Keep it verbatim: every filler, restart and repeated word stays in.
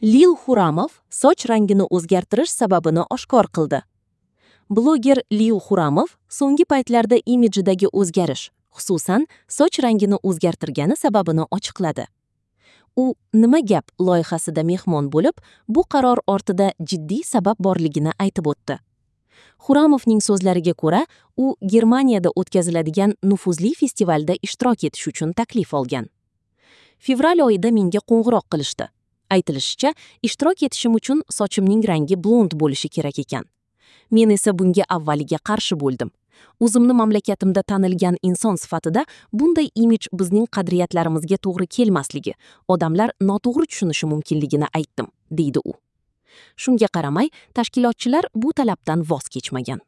Lil Xuramov soch rangini o'zgartirish sababini oshkor qildi. Bloger Lil Xuramov so'nggi paytlarda imijidagi o'zgarish, xususan, soch rangini o'zgartirgani sababini ochiqladi. U "Nima gap" loyihasida mehmon bo'lib, bu qaror ortida jiddiy sabab borligini aytib o'tdi. Xuramovning so'zlariga ko'ra, u Germaniyada o'tkaziladigan nufuzli festivalda ishtirok etish uchun taklif olgan. Fevral oyida menga qo'ng'iroq qilishdi. Aytilishicha, ishtirok etishim uchun sochimning rangi blond bo'lishi kerak ekan. Men esa bunga avvaliga qarshi bo'ldim. O'zimni mamlakatimda tanilgan inson sifatida bunday imij bizning qadriyatlarimizga to'g'ri kelmasligi, odamlar noto'g'ri tushunishi mumkinligini aytdim, deydi u. Shunga qaramay, tashkilotchilar bu talabdan voz kechmagan.